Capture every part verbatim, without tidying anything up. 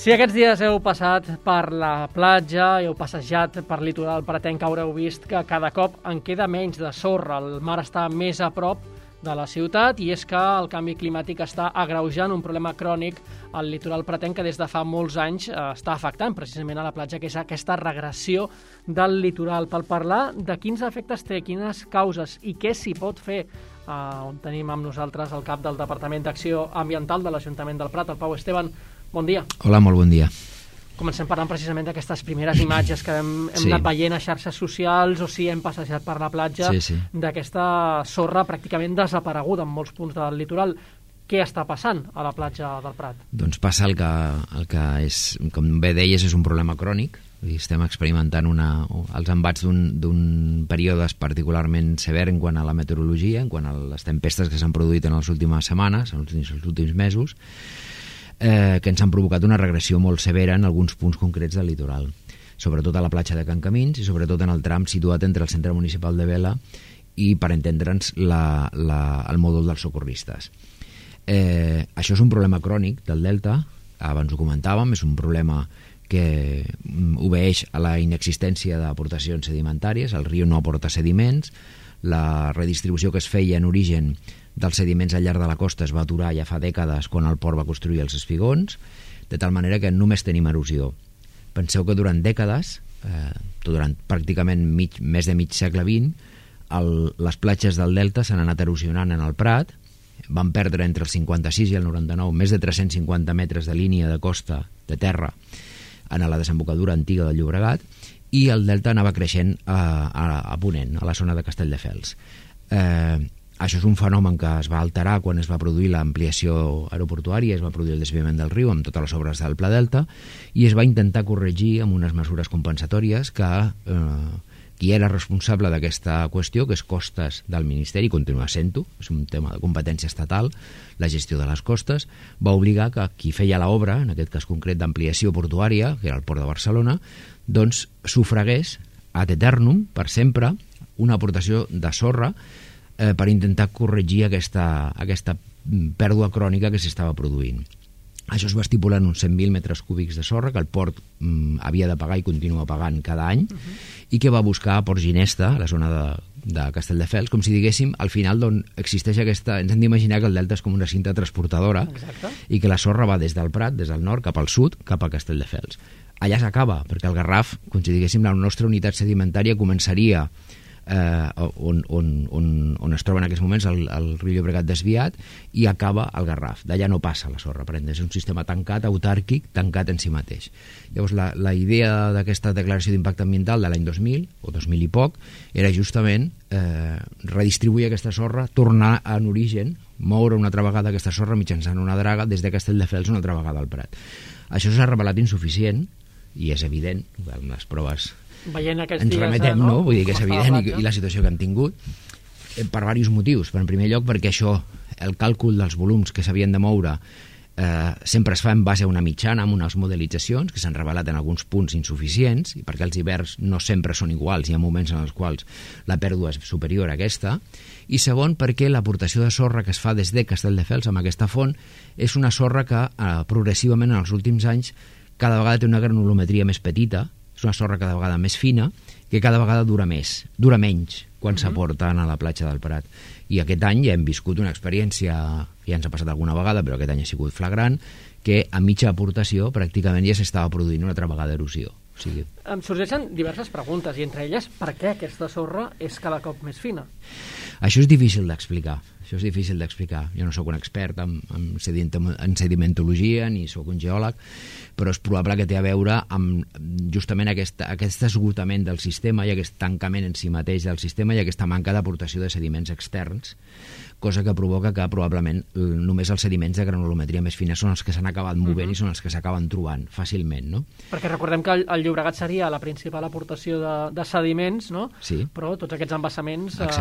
Si aquests dies heu passat per la platja, heu passejat per litoral pratenc, haureu vist que cada cop en queda menys de sorra. El mar està més a prop de la ciutat i és que el canvi climàtic està agreujant un problema crònic al litoral pratenc que des de fa molts anys eh, està afectant precisament a la platja, que és aquesta regressió del litoral. Per parlar de quins efectes té, quines causes i què s'hi pot fer, eh, on tenim amb nosaltres el cap del Departament d'Acció Ambiental de l'Ajuntament del Prat, el Pau Esteban. Bon dia. Hola, molt bon dia. Comencem parlant precisament d'aquestes primeres imatges que hem, hem sí. anat veient a xarxes socials o si hem passejat per la platja, sí, sí. d'aquesta sorra pràcticament desapareguda en molts punts del litoral. Què està passant a la platja del Prat? Doncs passa el que, el que és, com bé deies, és un problema crònic. Estem experimentant una, els embats d'un període particularment sever en quant a la meteorologia, en quant a les tempestes que s'han produït en les últimes setmanes, en els últims, els últims mesos, eh, que ens han provocat una regressió molt severa en alguns punts concrets del litoral, sobretot a la platja de Can Camins i sobretot en el tram situat entre el centre municipal de Vela i, per entendre'ns, la, la, el mòdul dels socorristes. Eh, això és un problema crònic del delta, abans ho comentàvem, és un problema que obeeix a la inexistència d'aportacions sedimentàries, el riu no aporta sediments, la redistribució que es feia en origen dels sediments al llarg de la costa es va aturar ja fa dècades quan el port va construir els espigons, de tal manera que només tenim erosió. Penseu que durant dècades, eh, durant pràcticament mig, més de mig segle vint, el, les platges del delta s'han anat erosionant en el Prat, van perdre entre el cinquanta-sis i el noranta-nou més de tres-cents cinquanta metres de línia de costa de terra en la desembocadura antiga del Llobregat, i el delta anava creixent a, a, a Ponent, a la zona de Castelldefels. Eh, això és un fenomen que es va alterar quan es va produir l'ampliació aeroportuària, es va produir el desviament del riu amb totes les obres del Pla Delta, i es va intentar corregir amb unes mesures compensatòries que eh, qui era responsable d'aquesta qüestió, que és Costes del Ministeri, continua sent-ho, és un tema de competència estatal, la gestió de les costes, va obligar que qui feia l'obra, en aquest cas concret d'ampliació portuària, que era el Port de Barcelona, doncs sufragués ad eternum, per sempre, una aportació de sorra eh, per intentar corregir aquesta, aquesta pèrdua crònica que s'estava produint. Això es va estipular en uns cent mil metres cúbics de sorra que el port mm, havia de pagar i continua pagant cada any, uh-huh. i que va buscar a Port Ginesta, a la zona de, de Castelldefels, com si diguéssim, al final d'on existeix aquesta... Ens hem d'imaginar que el delta és com una cinta transportadora. Exacte. I que la sorra va des del Prat, des del nord, cap al sud, cap a Castelldefels. Allà s'acaba, perquè el Garraf, com si diguéssim, la nostra unitat sedimentària començaria eh, on, on, on, on es troba en aquests moments el, el riu Llobregat desviat i acaba al Garraf. D'allà no passa la sorra, per entendre. És un sistema tancat, autàrquic, tancat en si mateix. Llavors, la, la idea d'aquesta declaració d'impacte ambiental de l'any dos mil, o dos mil i poc, era justament eh, redistribuir aquesta sorra, tornar en origen, moure una altra vegada aquesta sorra mitjançant una draga des de Castelldefels una altra vegada al Prat. Això s'ha revelat insuficient, i és evident, amb les proves veient aquests ens dies, remetem, no? no? Vull dir que és evident i, i la situació que hem tingut eh, per diversos motius. En primer lloc perquè això, el càlcul dels volums que s'havien de moure eh, sempre es fa en base a una mitjana, amb unes modelitzacions que s'han revelat en alguns punts insuficients, i perquè els hiverns no sempre són iguals, hi ha moments en els quals la pèrdua és superior a aquesta, i segon perquè l'aportació de sorra que es fa des de Castelldefels amb aquesta font és una sorra que eh, progressivament en els últims anys cada vegada té una granulometria més petita, és una sorra cada vegada més fina, que cada vegada dura més, dura menys quan uh-huh. s'aporta a la platja del Prat. I aquest any ja hem viscut una experiència, ja ens ha passat alguna vegada, però aquest any ha sigut flagrant, que a mitja aportació pràcticament ja s'estava produint una altra vegada erosió. O sigui... Em sorgeixen diverses preguntes, i entre elles, per què aquesta sorra és cada cop més fina? Això és difícil d'explicar. Això és difícil d'explicar. Jo no sóc un expert en, en, en sedimentologia, ni sóc un geòleg, però és probable que té a veure amb justament aquest, aquest esgotament del sistema i aquest tancament en si mateix del sistema i aquesta manca d'aportació de sediments externs, cosa que provoca que probablement només els sediments de granulometria més fina són els que s'han acabat movent uh-huh. i són els que s'acaben trobant fàcilment, no? Perquè recordem que el, el Llobregat seria la principal aportació de, de sediments, no? Sí. Però tots aquests embassaments eh,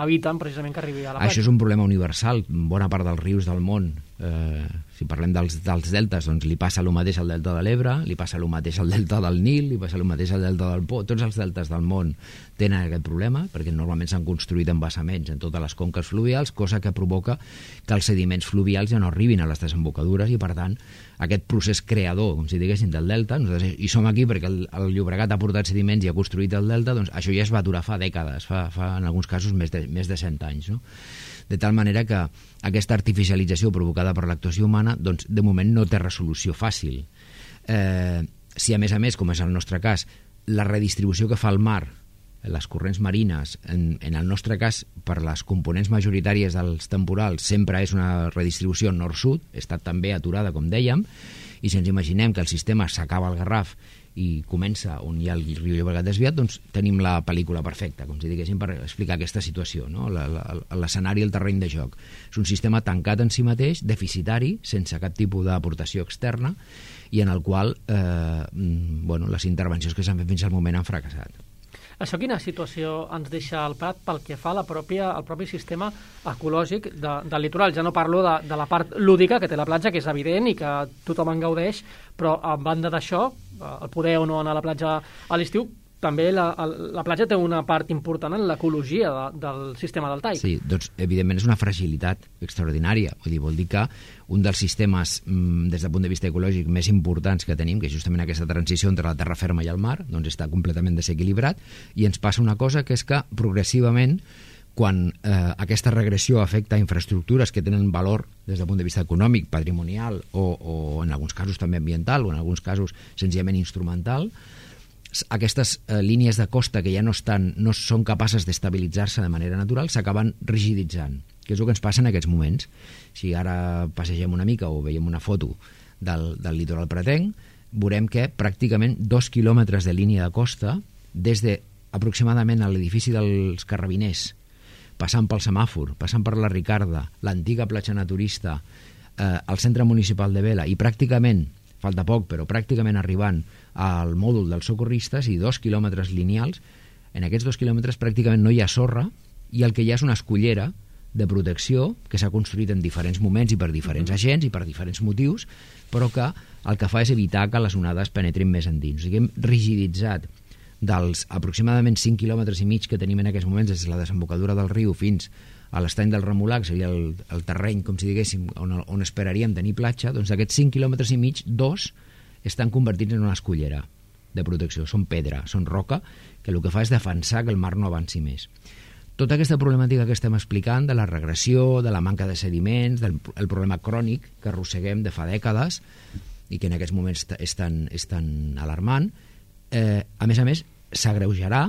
eviten precisament que arribi a la platja. Això és un problema problema universal. Bona part dels rius del món, eh, si parlem dels, dels deltes, doncs li passa el mateix al delta de l'Ebre, li passa el mateix al delta del Nil, li passa el mateix al delta del Po. Tots els deltes del món tenen aquest problema, perquè normalment s'han construït embassaments en totes les conques fluvials, cosa que provoca que els sediments fluvials ja no arribin a les desembocadures i, per tant, aquest procés creador, com si diguéssim, del delta, nosaltres hi som aquí perquè el, el Llobregat ha portat sediments i ha construït el delta, doncs això ja es va aturar fa dècades, fa, fa en alguns casos més de, més de cent anys, no? De tal manera que aquesta artificialització provocada per l'actuació humana, doncs, de moment no té resolució fàcil. Eh, si a més a més, com és el nostre cas, la redistribució que fa el mar, les corrents marines, en, en el nostre cas, per les components majoritàries dels temporals, sempre és una redistribució nord-sud, ha estat també aturada, com dèiem, i si ens imaginem que el sistema s'acaba al Garraf i comença on hi ha el riu Llobregat desviat, doncs tenim la pel·lícula perfecta, com si diguéssim, per explicar aquesta situació, no? L'escenari i el terreny de joc. És un sistema tancat en si mateix, deficitari, sense cap tipus d'aportació externa, i en el qual eh, bueno, les intervencions que s'han fet fins al moment han fracassat. Això quina situació ens deixa el Prat pel que fa a la pròpia, al propi sistema ecològic de, del litoral? Ja no parlo de, de la part lúdica que té la platja, que és evident i que tothom en gaudeix, però a banda d'això, el poder o no anar a la platja a l'estiu, també la, la platja té una part important en l'ecologia de, del sistema del Tall. Sí, doncs evidentment és una fragilitat extraordinària. Vull dir, vol dir que un dels sistemes, des del punt de vista ecològic, més importants que tenim, que és justament aquesta transició entre la terra ferma i el mar, doncs està completament desequilibrat, i ens passa una cosa, que és que progressivament, quan eh, aquesta regressió afecta infraestructures que tenen valor des del punt de vista econòmic, patrimonial o, o en alguns casos també ambiental o en alguns casos senzillament instrumental, aquestes eh, línies de costa que ja no, estan, no són capaces d'estabilitzar-se de manera natural s'acaben rigiditzant, que és el que ens passa en aquests moments. Si ara passegem una mica o veiem una foto del, del litoral pratenc, veurem que pràcticament dos quilòmetres de línia de costa, des de aproximadament a l'edifici dels Carrabiners, passant pel semàfor, passant per la Ricarda, l'antiga platja naturista, eh, al centre municipal de Vela, i pràcticament, falta poc, però pràcticament arribant al mòdul dels socorristes, i dos quilòmetres lineals, en aquests dos quilòmetres pràcticament no hi ha sorra, i el que hi ha és una escullera de protecció que s'ha construït en diferents moments i per diferents agents i per diferents motius, però que el que fa és evitar que les onades penetrin més endins. O sigui, hem rigiditzat dels aproximadament cinc quilòmetres i mig que tenim en aquests moments des de la desembocadura del riu fins a l'estany del Remolac, seria el, el terreny, com si diguéssim, on, on esperaríem tenir platja, doncs d'aquests cinc quilòmetres i mig, dos estan convertits en una escullera de protecció. Són pedra, són roca, que el que fa és defensar que el mar no avanci més. Tota aquesta problemàtica que estem explicant, de la regressió, de la manca de sediments, del el problema crònic que arrosseguem de fa dècades i que en aquests moments és tan, és tan alarmant, eh, a més a més, s'agreujarà,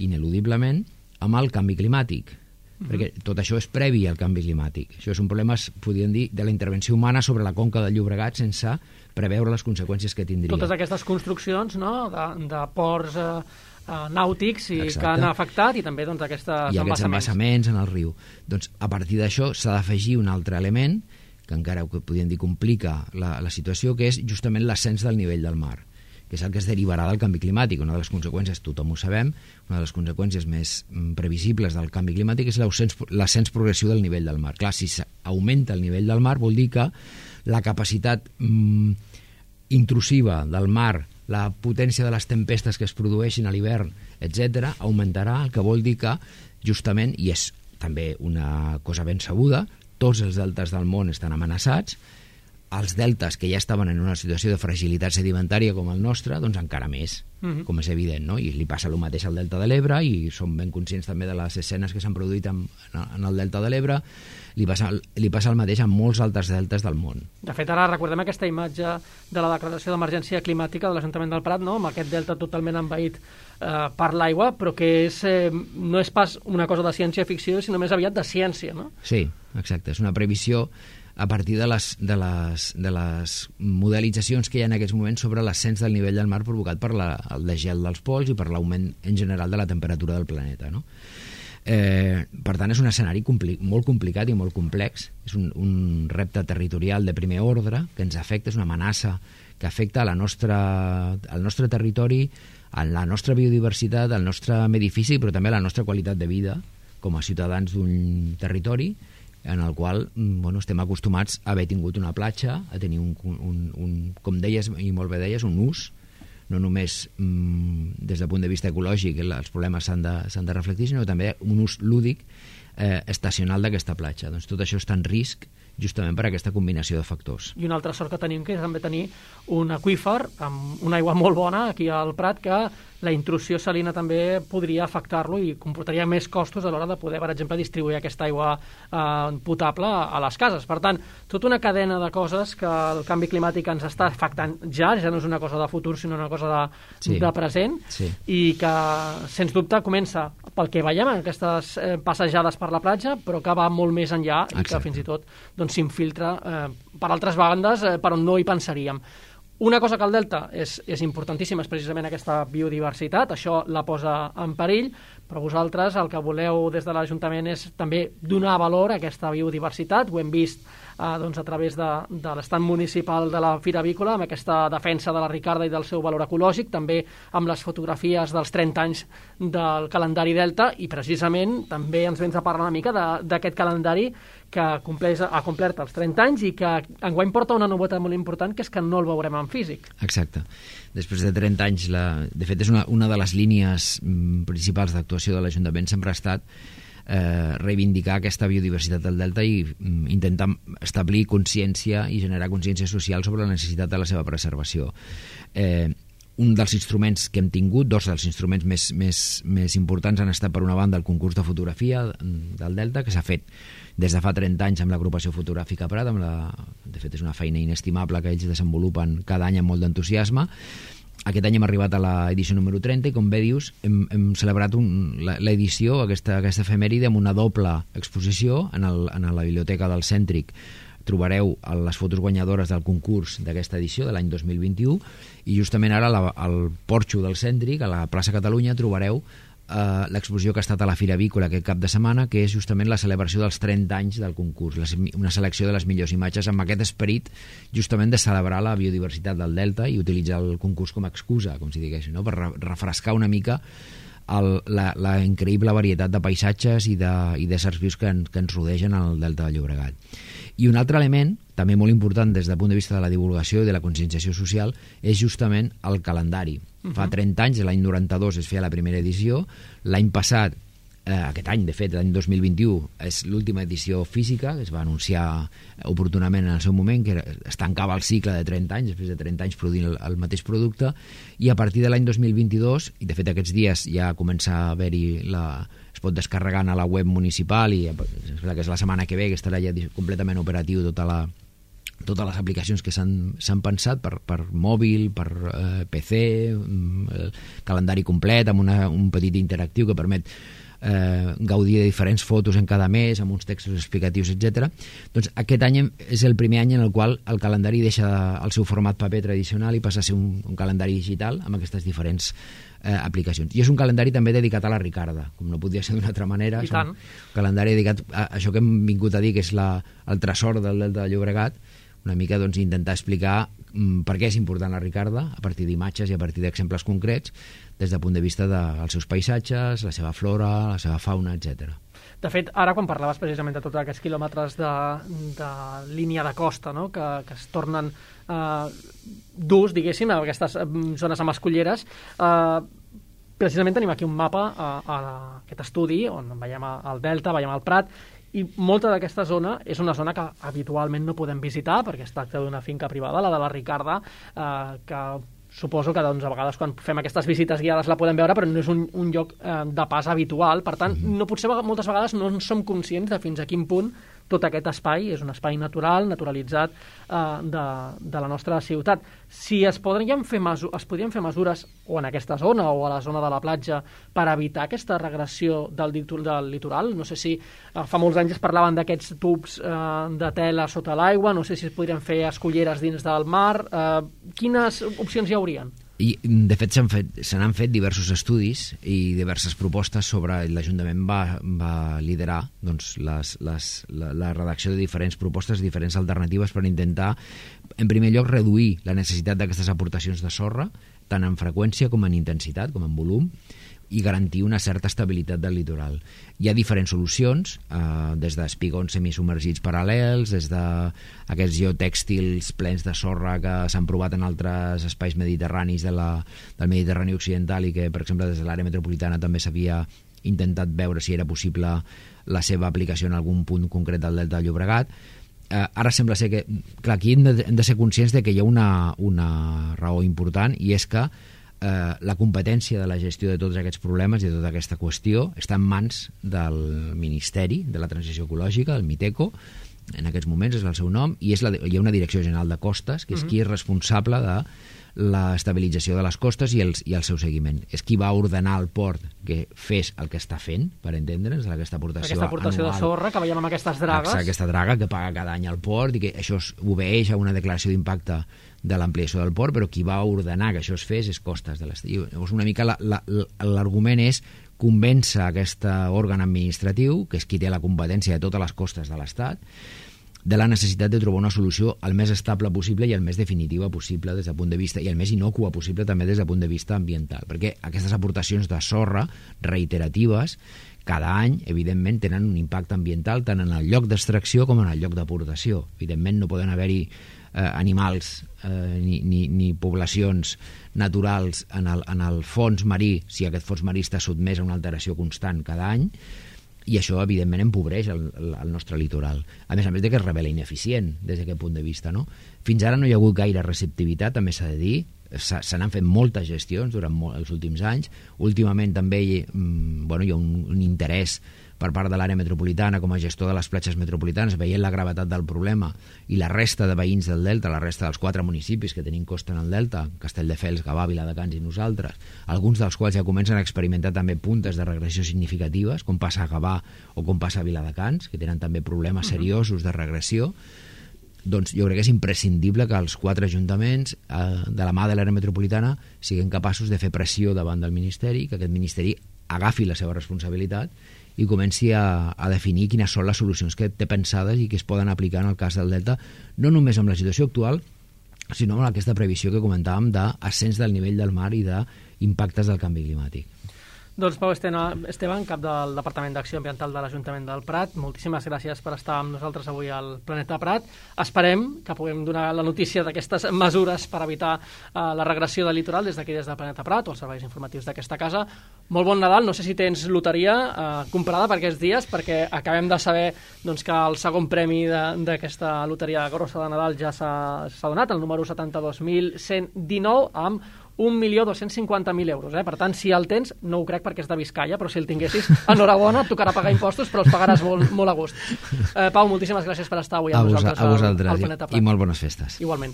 ineludiblement, amb el canvi climàtic, perquè tot això és previ al canvi climàtic. Això és un problema, podríem dir, de la intervenció humana sobre la conca del Llobregat sense preveure les conseqüències que tindria. Totes aquestes construccions, no?, de, de ports eh, nàutics i que han afectat, i també doncs, aquests embassaments. I aquests embassaments en el riu. Doncs a partir d'això s'ha d'afegir un altre element que encara que podríem dir complica la, la situació, que és justament l'ascens del nivell del mar, que és el que es derivarà del canvi climàtic. Una de les conseqüències, tothom ho sabem, una de les conseqüències més previsibles del canvi climàtic és l'ascens progressiu del nivell del mar. Clar, si augmenta el nivell del mar vol dir que la capacitat mm, intrusiva del mar, la potència de les tempestes que es produeixin a l'hivern, etcètera, augmentarà, el que vol dir que, justament, i és també una cosa ben sabuda, tots els deltes del món estan amenaçats, els deltes que ja estaven en una situació de fragilitat sedimentària com el nostre, doncs encara més, uh-huh. com és evident, no? I li passa el mateix al delta de l'Ebre, i som ben conscients també de les escenes que s'han produït en, en el delta de l'Ebre, li passa, li passa el mateix en molts altres deltes del món. De fet, ara recordem aquesta imatge de la declaració d'emergència climàtica de l'Ajuntament del Prat, no?, amb aquest delta totalment envaït eh, per l'aigua, però que és, eh, no és pas una cosa de ciència-ficció, sinó més aviat de ciència, no? Sí, exacte, és una previsió a partir de les, de, les, de les modelitzacions que hi ha en aquests moments sobre l'ascens del nivell del mar provocat per la, el degel dels pols i per l'augment en general de la temperatura del planeta, no? Eh, per tant, és un escenari compli molt complicat i molt complex, és un, un repte territorial de primer ordre que ens afecta, és una amenaça que afecta a la nostra, al nostre territori, a la nostra biodiversitat, al nostre medi físic, però també a la nostra qualitat de vida com a ciutadans d'un territori en el qual bueno, estem acostumats a haver tingut una platja, a tenir, un, un, un, com deies i molt bé deies, un ús, no només mm, des del punt de vista ecològic els problemes s'han de, s'han de reflectir, sinó també un ús lúdic eh, estacional d'aquesta platja. Doncs tot això està en risc justament per aquesta combinació de factors. I una altra sort que tenim que és també tenir un aqüífer amb una aigua molt bona aquí al Prat, que la intrusió salina també podria afectar-lo i comportaria més costos a l'hora de poder, per exemple, distribuir aquesta aigua eh, potable a les cases. Per tant, tota una cadena de coses que el canvi climàtic ens està afectant ja, ja no és una cosa de futur, sinó una cosa de, sí. de present, sí. I que, sens dubte, comença pel que veiem en aquestes eh, passejades per la platja, però que va molt més enllà. Exacte. I que fins i tot doncs, s'infiltra eh, per altres bandes eh, per on no hi pensaríem. Una cosa que el Delta és, és importantíssima és precisament aquesta biodiversitat, això la posa en perill, però vosaltres el que voleu des de l'Ajuntament és també donar valor a aquesta biodiversitat. Ho hem vist eh, doncs, a través de, de l'estat municipal de la Fira Avícola, amb aquesta defensa de la Ricarda i del seu valor ecològic, també amb les fotografies dels trenta anys del calendari Delta, i precisament també ens vens a parlar una mica d'aquest calendari que compleix, ha complert els trenta anys i que enguany porta una novetat molt important, que és que no el veurem en físic. Exacte. Després de trenta anys, la, de fet, és una, una de les línies mm, principals d'actuació de l'Ajuntament sempre ha estat eh, reivindicar aquesta biodiversitat del Delta i mm, intentar establir consciència i generar consciència social sobre la necessitat de la seva preservació. Eh, un dels instruments que hem tingut, dos dels instruments més, més, més importants han estat, per una banda, el concurs de fotografia del Delta, que s'ha fet des de fa trenta anys amb l'agrupació fotogràfica Prat, amb la, de fet és una feina inestimable que ells desenvolupen cada any amb molt d'entusiasme. Aquest any hem arribat a l'edició número trenta i, com bé dius, hem, hem celebrat l'edició, aquesta, aquesta efemèride, amb una doble exposició en, el, en la biblioteca del Cèntric. Trobareu les fotos guanyadores del concurs d'aquesta edició de l'any dos mil vint-i-u, i justament ara la, al porxo del Cèntric, a la plaça Catalunya, trobareu eh, l'exposició que ha estat a la Fira Avícola aquest cap de setmana, que és justament la celebració dels trenta anys del concurs, les, una selecció de les millors imatges amb aquest esperit justament de celebrar la biodiversitat del Delta i utilitzar el concurs com a excusa, com si digués, no? Per re refrescar una mica el, la, la increïble varietat de paisatges i d'éssers vius que, en, que ens rodegen al Delta del Llobregat. I un altre element, també molt important des del punt de vista de la divulgació i de la conscienciació social, és justament el calendari. Uh-huh. Fa trenta anys, l'any noranta-dos, es feia la primera edició. L'any passat, eh, aquest any, de fet, l'any dos mil vint-i-u, és l'última edició física, que es va anunciar oportunament en el seu moment, que era, es tancava el cicle de trenta anys, després de trenta anys produint el, el mateix producte, i a partir de l'any dos mil vint-i-dos, i de fet aquests dies ja comença a haver-hi la... es pot descarregar a la web municipal i que és la setmana que ve, que estarà ja completament operatiu tota la, totes les aplicacions que s'han pensat per, per mòbil, per eh, P C, eh, calendari complet amb una, un petit interactiu que permet eh, gaudir de diferents fotos en cada mes, amb uns textos explicatius, etcètera. Doncs aquest any és el primer any en el qual el calendari deixa el seu format paper tradicional i passa a ser un, un calendari digital amb aquestes diferents eh, aplicacions. I és un calendari també dedicat a la Ricarda, com no podia ser d'una altra manera. És un calendari dedicat a això que hem vingut a dir, que és la, el tresor del Delta de Llobregat, una mica doncs, intentar explicar mm, per què és important la Ricarda a partir d'imatges i a partir d'exemples concrets des del punt de vista dels seus paisatges, la seva flora, la seva fauna, etcètera. De fet, ara quan parlaves precisament de tots aquests quilòmetres de, de línia de costa, no? que, que es tornen eh, durs, diguéssim, a aquestes zones amb escolleres, eh, precisament tenim aquí un mapa a, a aquest estudi on veiem el Delta, veiem el Prat, i molta d'aquesta zona és una zona que habitualment no podem visitar perquè es tracta d'una finca privada, la de la Ricarda, eh, que suposo que doncs, a vegades quan fem aquestes visites guiades la podem veure, però no és un, un lloc eh, de pas habitual. Per tant, no, potser moltes vegades no en som conscients de fins a quin punt tot aquest espai és un espai natural, naturalitzat eh, de, de la nostra ciutat. Si es podrien fer, mesu es podrien fer mesures o en aquesta zona o a la zona de la platja per evitar aquesta regressió del, del litoral, no sé si eh, fa molts anys es parlaven d'aquests tubs eh, de tela sota l'aigua, no sé si es podrien fer escolleres dins del mar, eh, quines opcions hi haurien? I, de fet, s'han fet, se n'han fet diversos estudis i diverses propostes sobre... L'Ajuntament va, va liderar doncs, les, les, la, la redacció de diferents propostes, diferents alternatives per intentar, en primer lloc, reduir la necessitat d'aquestes aportacions de sorra, tant en freqüència com en intensitat, com en volum, i garantir una certa estabilitat del litoral. Hi ha diferents solucions, eh, des d'espigons semisubmergits paral·lels, des d'aquests geotèxtils plens de sorra que s'han provat en altres espais mediterranis de la, del Mediterrani occidental i que, per exemple, des de l'àrea metropolitana també s'havia intentat veure si era possible la seva aplicació en algun punt concret del Delta del Llobregat. Eh, ara sembla ser que, clar, aquí hem de, hem de ser conscients de que hi ha una, una raó important, i és que eh, la competència de la gestió de tots aquests problemes i de tota aquesta qüestió està en mans del Ministeri de la Transició Ecològica, el MITECO, en aquests moments és el seu nom, i és la, hi ha una Direcció General de Costes, que és qui és responsable de l'estabilització de les costes i el, i el seu seguiment. És qui va ordenar al port que fes el que està fent, per entendre'ns, aquesta aportació aquesta aportació anual, de sorra que veiem amb aquestes dragues. Exacte, aquesta draga que paga cada any al port, i que això es obeeix a una declaració d'impacte de l'ampliació del port, però qui va ordenar que això es fes és Costes de l'Estat. Llavors, una mica l'argument és convèncer aquest òrgan administratiu, que és qui té la competència de totes les costes de l'Estat, de la necessitat de trobar una solució el més estable possible i el més definitiva possible des del punt de vista, i el més innocua possible també des del punt de vista ambiental, perquè aquestes aportacions de sorra reiteratives cada any, evidentment, tenen un impacte ambiental tant en el lloc d'extracció com en el lloc d'aportació. Evidentment no poden haver-hi eh, animals eh, ni, ni, ni poblacions naturals en el, en el fons marí si aquest fons marí està sotmès a una alteració constant cada any, i això evidentment empobreix el, el, el nostre litoral, a més a més de que es revela ineficient des d'aquest punt de vista, no? Fins ara no hi ha hagut gaire receptivitat, també s'ha de dir, se n'han fet moltes gestions durant molt, els últims anys. Últimament també hi, bueno, hi ha un, un interès per part de l'àrea metropolitana com a gestor de les platges metropolitanes, veient la gravetat del problema, i la resta de veïns del Delta, la resta dels quatre municipis que tenim costa en el Delta, Castelldefels, Gavà, Viladecans i nosaltres, alguns dels quals ja comencen a experimentar també puntes de regressió significatives, com passa a Gavà o com passa a Viladecans, que tenen també problemes seriosos de regressió. Doncs jo crec que és imprescindible que els quatre ajuntaments, eh, de la mà de l'àrea metropolitana, siguin capaços de fer pressió davant del Ministeri, que aquest Ministeri agafi la seva responsabilitat i comenci a, a definir quines són les solucions que té pensades i que es poden aplicar en el cas del Delta, no només amb la situació actual, sinó amb aquesta previsió que comentàvem d'ascens del nivell del mar i d'impactes del canvi climàtic. Doncs Pau Esteban, cap del Departament d'Acció Ambiental de l'Ajuntament del Prat, moltíssimes gràcies per estar amb nosaltres avui al Planeta Prat. Esperem que puguem donar la notícia d'aquestes mesures per evitar uh, la regressió del litoral des d'aquí, des del Planeta Prat, o els serveis informatius d'aquesta casa. Molt bon Nadal, no sé si tens loteria uh, comprada per aquests dies, perquè acabem de saber doncs, que el segon premi d'aquesta loteria grossa de Nadal ja s'ha donat, el número setanta-dos mil cent dinou, amb un milió dos-cents cinquanta mil euros. Eh? Per tant, si el tens, no ho crec perquè és de Vizcaya, però si el tinguessis, enhorabona, et tocarà pagar impostos, però els pagaràs molt, molt a gust. Eh, Pau, moltíssimes gràcies per estar avui amb a nosaltres a vosaltres, al, al Planeta Prat. I molt bones festes. Igualment.